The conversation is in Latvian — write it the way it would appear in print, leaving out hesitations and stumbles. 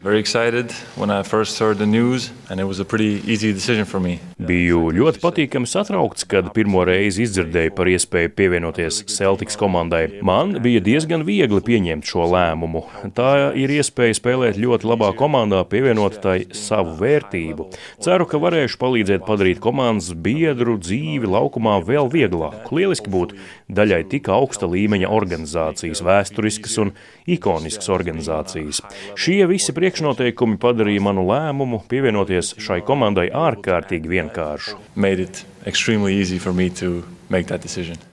Very excited when I first heard the news, and it was a pretty easy decision for me. Biju ļoti patīkami satraukts, kad pirmo reizi izdzirdēju par iespēju pievienoties Celtics komandai. Man bija diezgan viegli pieņemt šo lēmumu. Tā ir iespēja spēlēt ļoti labā komandā, pievienot tai savu vērtību. Ceru, ka varēšu palīdzēt padarīt komandas biedru dzīvi laukumā vēl vieglāku. Lieliski būt daļai tik augsta līmeņa organizācijas, vēsturiskas un ikoniskas organizācijas. Šie visi priekšnoteikumi padarīja manu lēmumu pievienoties šai komandai ārkārtīgi vienkāršu. Made it extremely easy for me to make that decision.